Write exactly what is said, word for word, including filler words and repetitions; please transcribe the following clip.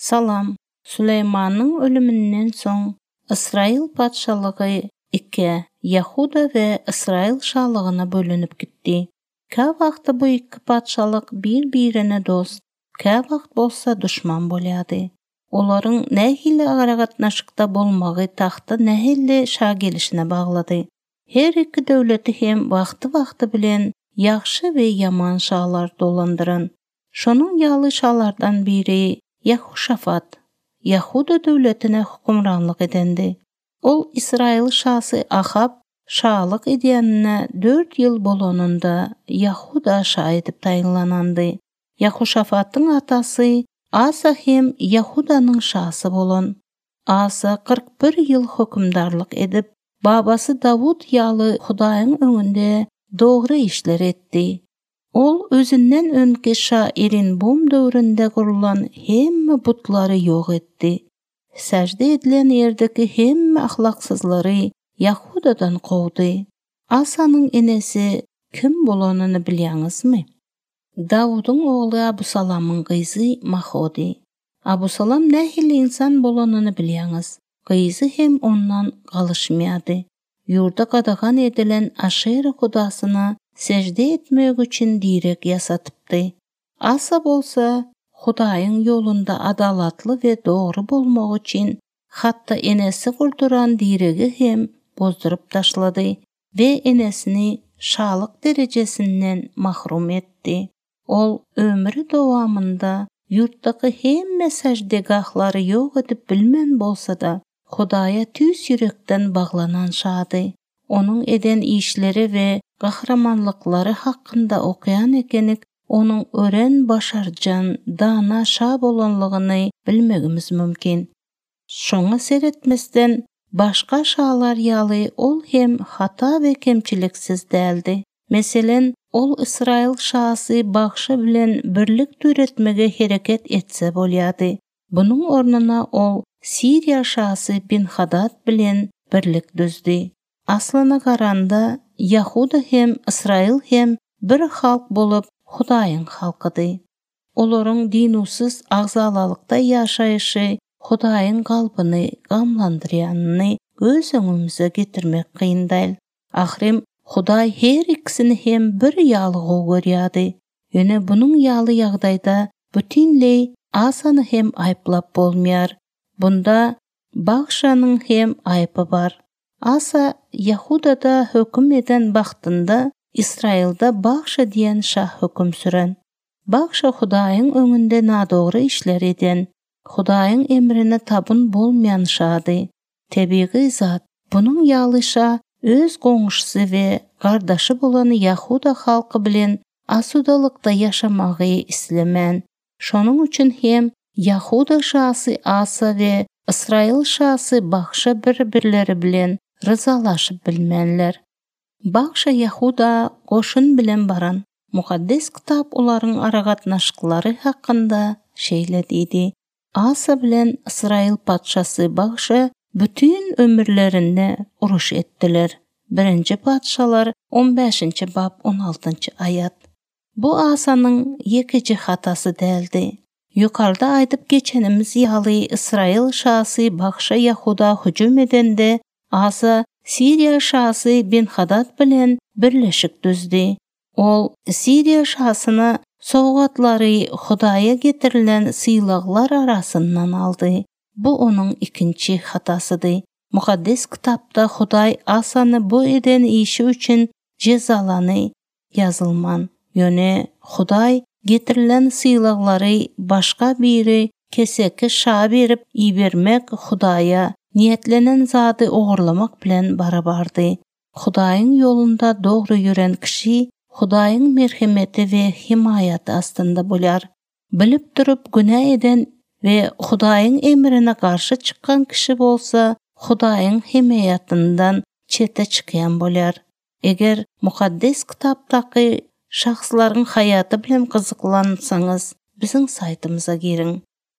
Salam. Süleyman'ın ölümünden soň İsrail patşalygy iki Yahuda we İsrail şahlygına bölünip gitdi. Ka wagtda bu iki patşalyk bir-birine dost, ka wagt bolsa düşman bolýady. Olaryň nähili aragatnaşykda bolmagy taxta nähili şa gelişine baglady. Her iki döwleti hem wagty-wagty bilen ýaxşy we ýaman şalar dolandyran. Şonuň ýaly şalardan biri Yehoşafat, Yahuda döwletine hukmranlyk edendi. Ol İsrail şahsy Ahab şahlyk edýänine dört ýyl bolanynda Yahuda şah edip taýinlanandy. Yehoşafatyň atasy Asa hem Yahudanyň şahsy bolan. Asa kırk bir ýyl hukmdarlyk edip, babasy Davud ýaly Hudaýyň öňünde dogry işler etdi. Ol özünden önki şairin bum döwründe gurulan hemme butlary ýok etdi. Sejde edilen ýerdeki hemme ahlaksyzlary Yahudadan gowdy. Asanyň enesi kim bolanyny bilýäňizmi? Davudyň ogly Abusalamyň gyzy Mahodi. Abusalam nähili insan bolanyny bilýäňiz. Gyzy hem ondan galyşmaýady. Ýurda gadagan edilen Aşera hudasyna secde etmek üçin direk yasatypdy. Asa bolsa Hudaýyň ýolunda adalatly we dogry bolmak üçin hatda enesi gurduran diregi hem bozdurup taşlady we enesini şalyk derecesinden mahrum etdi. Ol ömrü dowamında ýurtdaky hemme secdegahlary ýok edip bilmen bolsa-da Hudaýa tüs ýürekden baglanan şady. Onun eden işleri we gahramanlyklary hakynda okyan ekenik, onun ören başarjan, dana şa bolanlygyny bilmegimiz mümkin. Şoňa seretmesden başga şalar ýaly ol hem hata we kemçiliksiz däldi. Meselen, ol İsrail şahsy bagşy bilen birlik türetmege hereket etse bolýady. Bunyň ornuna ol Siriýa şahsy Bin-Hadad bilen birlik düzdi. Aslana garanda Yahuda hem İsrail hem bir halk bolup Hudaýyň halkydy. Olaryň dinusiz agzalalykda ýaşaýyşy Hudaýyň galbyny gamlandyrýanyny göz öňümüze getirmek kyndaýl. Ahirem Hudaý her ikisini hem bir ýaly görýärdi. Ýöne bunyň ýaly ýagdaýda bütünlei Asany hem aýplap bolmaýar. Bunda Bagşanyň hem aýpy bar. Asa Yahudada höküm eden bagtynda İsrailda Bagşa diýen şah höküm süren. Bagşa Hudaýyň öňünde nadogry işler eden, Hudaýyň emrine tabyn bolmayan şady. Tebii zat, bunyň ýalyşa öz goňuşsy we gardaşy bolan Yahuda halky bilen asudalykda ýaşamagy islemän. Şonuň üçin hem Yahuda şahsy Asa we İsrail şahsy Bagşa bir-birleri bilen ryzalaşyp bilmenler. Bagşa Yahuda goşun bilen baran. Mukaddes kitap olaryň aragatnaşyklary hakynda şeýle diýdi. Asa bilen İsrail patşasy Bagşa bütün ömürlerinde uruş etdiler. Birinci patşalar on beşinci bab on altynçy ayat. Bu Asanyň ýekiji hatasy däldi. Yukarda aýdyp geçenimiz ýaly İsrail şahsy Bagşa Yahuda hüjüm edende Asa Siriýa şahsy Bin-Hadad bilen birleşik düzdi. Ol Siriýa şahsyna sowgatlary Hudaýa getirilen syýlaglar arasyndan aldy. Bu onuň ikinci hatasydy. Mukaddes kitapda Hudaý Asany bu eden işi üçin jezalany ýazylman. Ýöne Hudaý getirilen syýlaglary başga biri keseki şa berip ibermek Hudaýa niyetlenen zady ogurlamak bilen barabardy. Hudaýyň ýolunda dogry ýüren kişi Hudaýyň merhemeti we himayaty astynda bolýar. Bilip durup günah eden we Hudaýyň emrine garşy çykkan kişi bolsa Hudaýyň himayatyndan çete çykýan bolýar. Eger mukaddes kitapdaky şahslaryň hayaty bilen gyzyklansaňyz, biziň saytymyza girin.